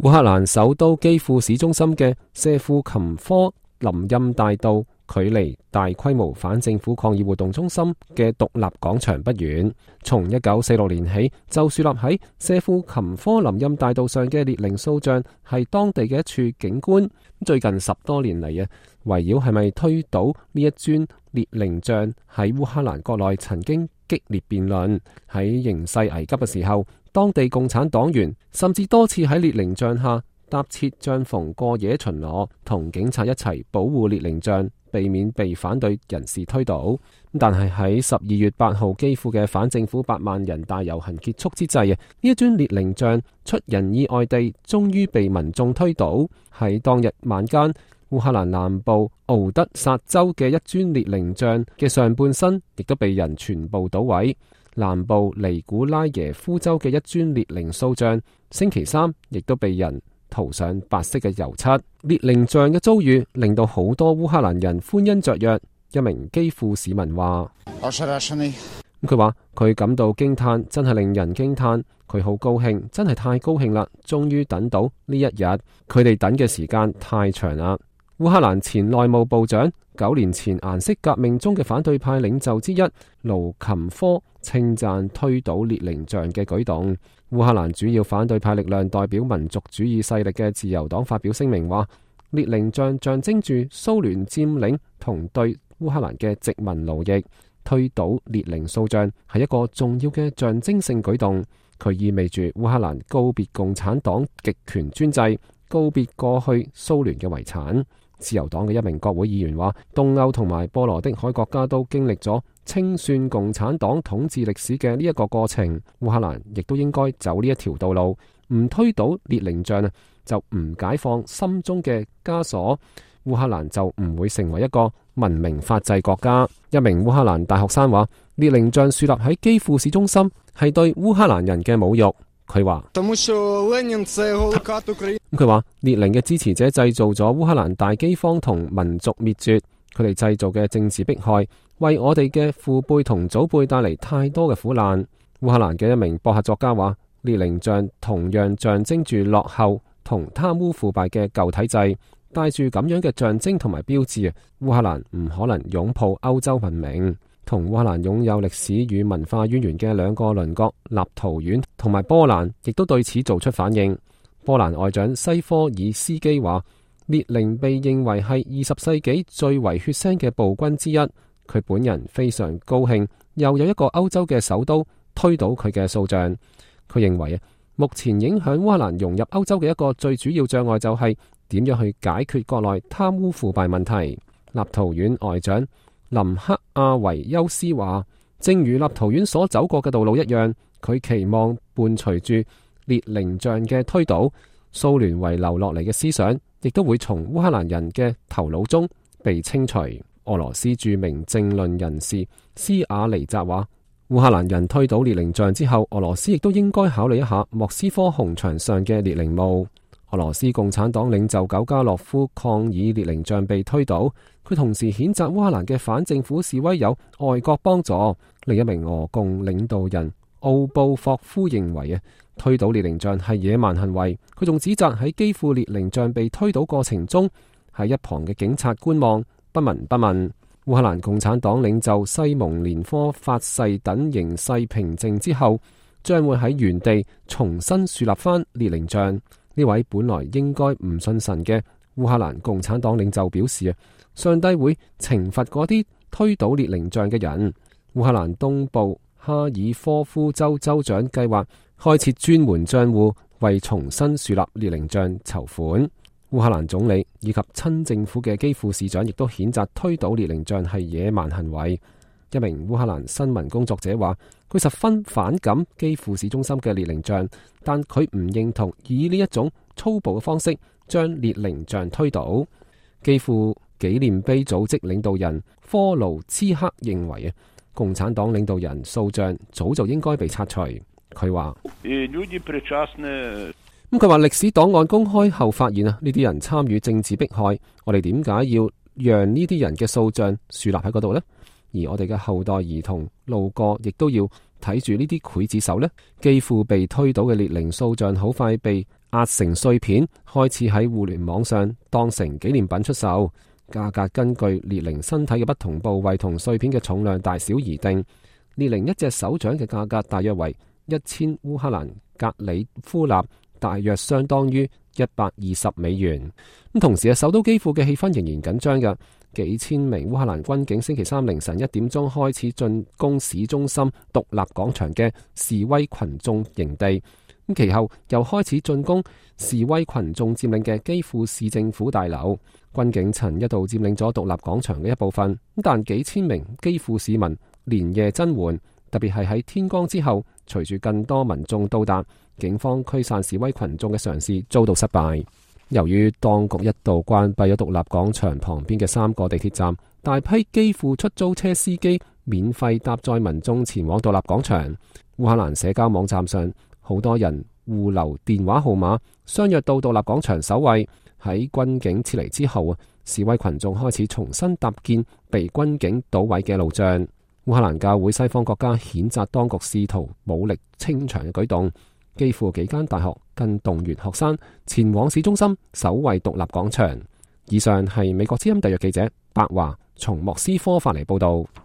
烏克蘭首都基輔市中心嘅謝庫琴科林欽大道，距離大規模反政府抗議活動中心嘅獨立廣場不遠。從1946年起，就樹立喺謝庫琴科林欽大道上嘅列寧塑像係當地嘅一處景觀。最近10多年嚟啊，圍繞係咪推倒呢一尊列寧像，喺烏克蘭國內曾經激烈辯論。喺形勢危急嘅時候，當地共產黨員甚至多次喺列寧像下搭設帳篷過夜巡邏，同警察一齊保護列寧像，避免被反對人士推倒。但係喺12月8號基輔嘅反政府8萬人大遊行結束之際，呢一尊列寧像出人意外地終於被民眾推倒。喺當日晚間，烏克蘭南部敖德薩州嘅一尊列寧像嘅上半身亦都被人全部搗毀。南部尼古拉耶夫州嘅一尊列寧塑像，星期三亦都被人塗上白色嘅油漆。列寧像嘅遭遇令到好多烏克蘭人歡欣雀躍。一名基輔市民話：佢話佢感到驚嘆，真係令人驚嘆。佢好高興，真係太高興啦！終於等到呢一日，佢哋等嘅時間太長啦。烏克蘭前內務部長9年前顏色革命中嘅反對派領袖之一盧琴科稱讚推倒列寧像嘅舉動。烏克蘭主要反對派力量代表民族主義勢力嘅自由黨發表聲明話，列寧像象徵住蘇聯佔領同對烏克蘭嘅殖民奴役，推倒列寧塑像係一個重要嘅象徵性舉動。佢意味住烏克蘭告別共產黨極權專制，告別過去蘇聯嘅遺產。自由黨嘅一名國會議員話，東歐同埋波羅的海國家都經歷咗清算共產黨統治歷史嘅呢一個過程，烏克蘭亦都應該走呢一條道路，唔推倒列寧像就唔解放心中嘅枷鎖，烏克蘭就唔會成為一個文明法治國家。一名烏克蘭大學生話，列寧像樹立喺基輔市中心係對烏克蘭人嘅侮辱。佢話列寧嘅支持者製造咗烏克蘭大饑荒同民族滅絕，佢哋製造嘅政治迫害為我哋嘅父輩同祖輩帶嚟太多嘅苦難。烏克蘭嘅一名博客作家話，列寧像同樣象徵住落後同貪污腐敗嘅舊體制，帶住咁樣嘅象徵同埋標誌，烏克蘭唔可能擁抱歐洲文明。同烏克蘭擁有歷史與文化淵源嘅兩個鄰國立陶宛同埋波蘭，亦都對此做出反應。波蘭外長西科爾斯基話，列寧被認為係20世紀最為血腥嘅暴君之一。佢本人非常高興，又有一個歐洲嘅首都推倒佢嘅塑像。佢認為目前影響烏克蘭融入歐洲嘅一個最主要障礙就係點樣去解決國內貪污腐敗問題。立陶宛外長林克阿維休斯話，正如立陶宛所走過嘅道路一樣，佢期望伴隨住列寧像嘅推倒，蘇聯遺留落嚟嘅思想亦都會從烏克蘭人嘅頭腦中被清除。俄羅斯著名政論人士斯瓦尼澤話，烏克蘭人推倒列寧像之後，俄羅斯亦都應該考慮一下莫斯科紅場上嘅列寧墓。俄羅斯共產黨領袖久加諾夫抗議列寧像被推倒，佢同時譴責烏克蘭嘅反政府示威有外國幫助。另一名俄共領導人奧布霍夫認為推倒列寧像係野蠻行為。佢仲指責喺基輔列寧像被推倒過程中，喺一旁嘅警察觀望不聞不問。烏克蘭共產黨領袖西蒙連科發誓，等形勢平靜之後，將會喺原地重新樹立翻列寧像。呢位本來應該唔信神嘅烏克蘭共產黨領袖表示上帝會懲罰嗰啲推倒列寧像嘅人。烏克蘭東部哈爾科夫州州長計劃開設專門賬戶，為重新樹立列寧像籌款。烏克蘭總理以及親政府嘅基輔市長亦都譴責推倒列寧像係野蠻行為。一名烏克蘭新聞工作者話，佢十分反感基輔市中心嘅列寧像，但佢唔認同以呢一種粗暴嘅方式將列寧像推倒。基輔紀念碑組織領導人科盧茨克認為共產黨領導人塑像早就應該被拆除。佢話佢話歷史檔案公開後發現呢啲人參與政治迫害，我哋點解要讓呢啲人嘅塑像樹立喺嗰度呢？而我哋嘅後代兒童路過，亦都要睇住呢啲劊子手呢。基輔被推倒嘅列寧塑像好快被壓成碎片，開始喺互聯網上當成紀念品出售。價格根據列寧身體嘅不同部位同碎片嘅重量大小而定。列寧一隻手掌嘅價格大約為1000烏克蘭格里夫納，大約相當於$120。同時首都基輔嘅氣氛仍然緊張嘅，幾千名烏克蘭軍警星期三凌晨1點鐘開始進攻市中心獨立廣場嘅示威群眾營地。其後又開始進攻示威群眾佔領嘅基輔市政府大樓。軍警曾一度佔領咗獨立廣場嘅一部分，但幾千名基輔市民連夜增援，特別係喺天光之後，隨住更多民眾到達，警方驅散示威群眾嘅嘗試遭到失敗。由於當局一度關閉咗獨立廣場旁邊嘅3個地鐵站，大批基輔出租車司機免費搭載民眾前往獨立廣場。烏克蘭社交網站上，好多人互留電話號碼，相約到獨立廣場守衛。喺軍警撤離之後，示威群眾開始重新搭建被軍警搗毀嘅路障。烏克蘭教會西方國家譴責當局試圖武力清場嘅舉動，幾乎幾間大學更動員學生前往市中心守衛獨立廣場。以上係美國之音特約記者白華從莫斯科發嚟報道。